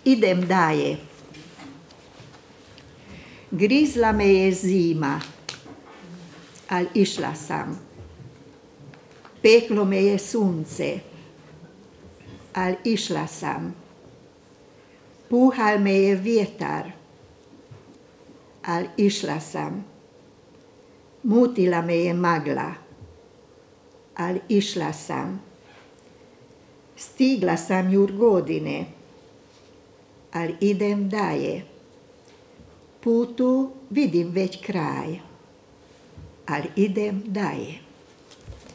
Idem dalje. Grizla me je zima, ali išla sam. Peklo me je sunce, ali išla sam. Puhal me je vjetar, ali išla sam. Mutila me je magla, ali išla sam. Stigla sam jur godine, ali idem dalje. Putu vidim već kraj, ali idem dalje.